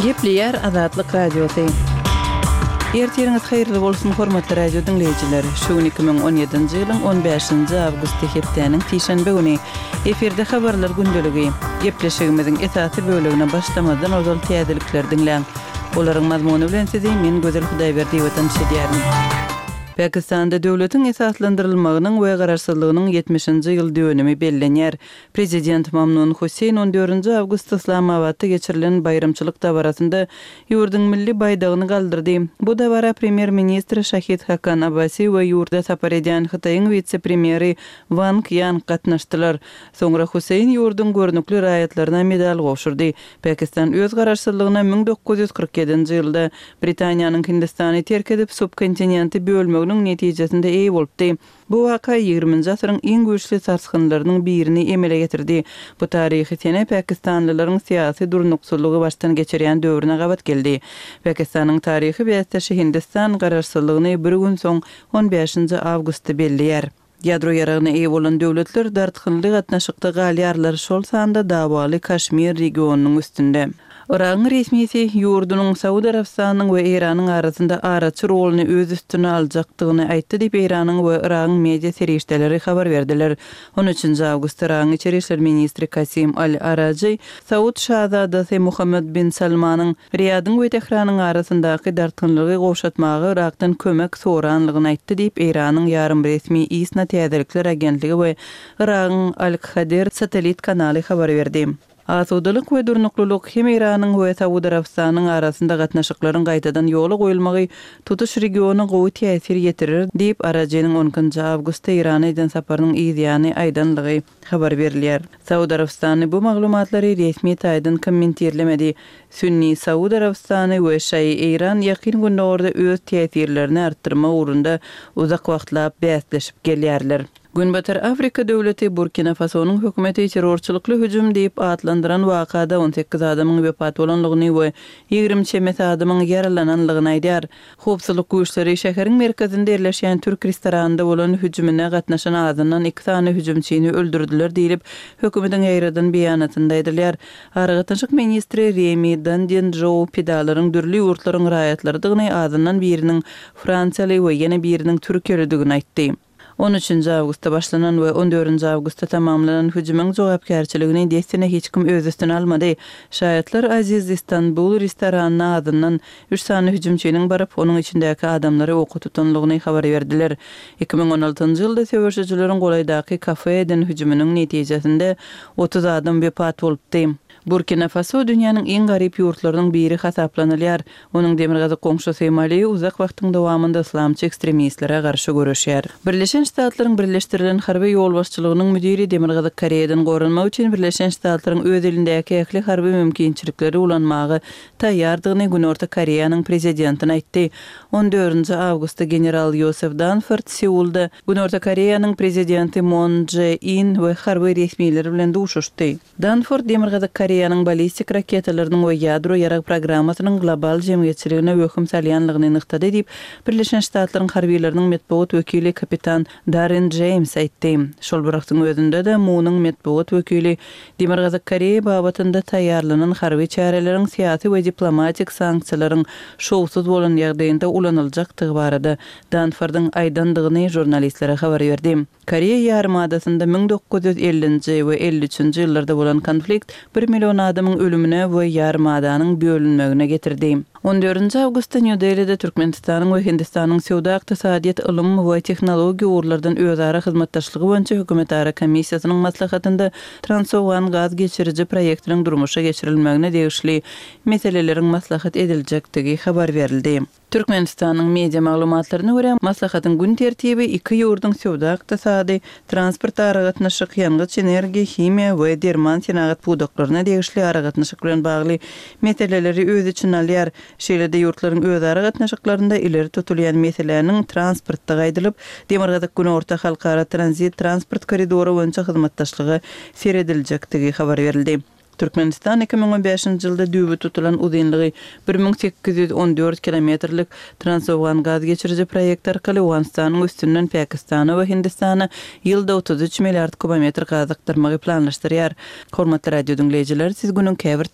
Gepleýär Azatlyk Radiosy. Ertiriňiz haýyrly bolsun, hormatly radio diňleýjiler! Şu gün 2017-nji ýylyň on bäşinji awgusty hepdäniň sişenbe güni. Efirde habarlar gündeligi. Gepleşigimiziň esasy bölegine başlamazdan ozal täzelikleri diňläň. Olaryň mazmuny bilen sizi men Gözel Hudaýberdiýewa tanyş edýärin. Pakistanda döwletiň esaslandyrylmagynyň we garaşsyzlygynyň ýetmişinji ýyl dönümi bellenýär. Prezident Mamnun Husseýn on dördünji awgustda Yslamabatda geçirilen baýramçylyk dabarasynda ýurduň milli baýdagyny galdyrdy. Bu dabara premýer-ministr Şahid Hakan Abbasi we ýurda sapar edýän Hytaýyň wise-premýeri Wang Ýan gatnaşdylar. Soňra Husseýn ýurduň görnükli raýatlaryna medal gowşurdy. Pakistan öz garaşsyzlygyna 1947-nji ýylda Britaniýanyň Hindistany terk edip, subkontinenti bölmeginiň netijesinde eýe bolupdy. Bu waka ýigriminji asyryň iň güýçli sarsgynlarynyň birini emele getirdi. Bu taryhy sene pakistanlylaryň syýasy durnuksyzlygy başdan geçirýän döwrüne gabat geldi. Pakistanyň taryhy bäsdeşi Hindistan garaşsyzlygyny bir gün soň, on bäşinji awgustda belleýär. Ýadro ýaragyna eýe bolan döwletler dartgynly gatnaşykda galýarlar, şol sanda dawaly Kaşmir regionynyň üstünde. Yragyň resmisi ýurdunyň Saud Arabystanynyň we Eýranyň arasynda araçy roluny öz üstüne aljakdygyny aýtdy diýip, Eýranyň we Yragyň media serişdeleri habar berdiler. On üçünji awgustda Yragyň içeri işler ministri Kasim al-Arajy Saud şazadasy Muhammed bin Salmanyň Riýadyň we Tähranyň arasyndaky dartgynlygy gowşatmaga Yrakdan kömek soranlygyny aýtdy diýip, Eýranyň ýarym-resmi ISNA täzelikler agentligi we Yragyň Al-Khader satellit kanaly habar berdi. Asudalyk we durnuklylyk hem Eýranyň we Saud Arabystanynyň arasynda gatnaşyklaryň gaýtadan ýola goýulmagy tutuş regiona gowy täsir ýetirer diýip, Arajynyň on ikinji awgustda Eýrana eden saparynyň yzýany aýdanlygy habar berilýär. Saud Arabystany bu maglumatlary resmi taýdan kommentirlemedi. Sünni Saud Arabystany we şaýy Eýran Ýakyn Gündogarda öz täsirlerini artdyrmak ugrunda uzak wagtlap bäsleşip gelýärler. Günbatar Afrika döwleti Burkina Fasonyň hökümeti terrorçylykly hüjüm diýip atlandyran wakada 18 adamyň wepat bolanlygyny we 20 çemesi adamyň ýaralananlygyny aýdýar. Howpsuzlyk güýçleri şäheriň merkezinde ýerleşýän türk restoranynda bolan hüjümine gatnaşan azyndan iki sany hüjümçini öldürdiler diýlip, hökümetiň ýaýradan beýanatynda aýdylýar. Aragatnaşyk ministri Remi Dandin-Jou pidalaryň dürli ýurtlaryň raýatlarydygyny, azyndan biriniň fransiýaly we ýene biriniň türkiýelidigini aýtdy. On üçünji awgustda başlanan we on dördünji awgustda tamamlanan hüjümiň jogapkärçiligini dessine hiç kim öz üstüne almady. Şaýatlar Aziz Istanbul restoranyna azyndan üç sany hüjümçiniň baryp, onuň içindäki adamlary oka tutanlygyny habar berdiler. 2016-njy ýylda söweşijileriň golaýdaky kafe eden hüjüminiň netijesinde 30 adam wepat bolupdy. Burkina Faso dünýäniň iň garyp ýurtlarynyň biri hasaplanylýar. Onuň demirgazyk goňşusy Mali uzak wagtyň dowamynda yslamçy ekstremistlere garşy göreşýär. Birleşen Ştatlaryň Birleşdirilen harby ýolbaşçylygynyň müdiri Demirgazyk Koreýadan goranmak üçin Birleşen Ştatlaryň öz elindäki ähli harby mümkinçilikleri ulanmaga taýýardygyny Günorta Koreýanyň prezidentine aýtdy. On dördünji awgustda general Ýosef Danford Seulda Günorta Koreýanyň prezidenti Mon Dže In we harby resmiler bilen duşuşdy. Danford Demirgazyk Koreýanyň ballistik raketalarynyň we ýadro ýarag programmasynyň global jemgyýetçiligine wehim salýanlygyny nygtady diýip, Birleşen Ştatlaryň harbylarynyň metbugat wekili kapitan Darren Jeýms aýtdy. Şol bir wagtyň özünde-de, MUN-yň metbugat wekili Demirgazyk Koreýa babatynda taýýarlanan harby çäreleriň syýasy we diplomatik sanksiýalaryň şowsuz bolan ýagdaýynda ulanyljakdygy barada Danfordyň aýdandygyny žurnalistlere habar berdi. Koreýa ýarymadasynda 1950-nji we 53-nji ýyllarda bolan konflikt bir million adamyň ölümine we ýarymadanyň bölünmegine getirdi. On dördünji awgustda Nýu-Delide Türkmenistanyň we Hindistanyň söwda-ykdysadyýet, ylym we tehnologiýa ugurlardan özara hyzmatdaşlygy boýunça hökümetara komissiýasynyň maslahatynda Transowgan gaz geçiriji proýektiniň durmuşa geçirilmegine degişli meseleleriň maslahat ediljekdigi habar berildi. Türkmenistanyň media maglumatlaryna görä, maslahatyň gün tertibi iki ýurduň söwda-ykdysady, transport-aragatnaşyk, ýangyç-energiýa, himiýa we derman senagat pudaklaryna degişli aragatnaşyk bilen bagly meseleleri öz içine alýar. Şeýle-de ýurtlaryň özara gatnaşyklarynda ileri tutulýan meseläniň transportdygy aýdylyp, Demirgazyk-Günorta halkara tranzit transport koridory boýunça hyzmatdaşlyga serediljekdigi habar berildi. Türkmenistan 2015-nji ýylda düýbi tutulan uzynlygy 1814 kilometrlik Transowgan gaz geçiriji proýekti arkaly Owganystanyň üstünden Pakistana we Hindistana ýylda 33 milliard kubometr gaz akdyrmagy planlaşdyrýar. Hormatly radio diňleýjiler, siz günüň käbir.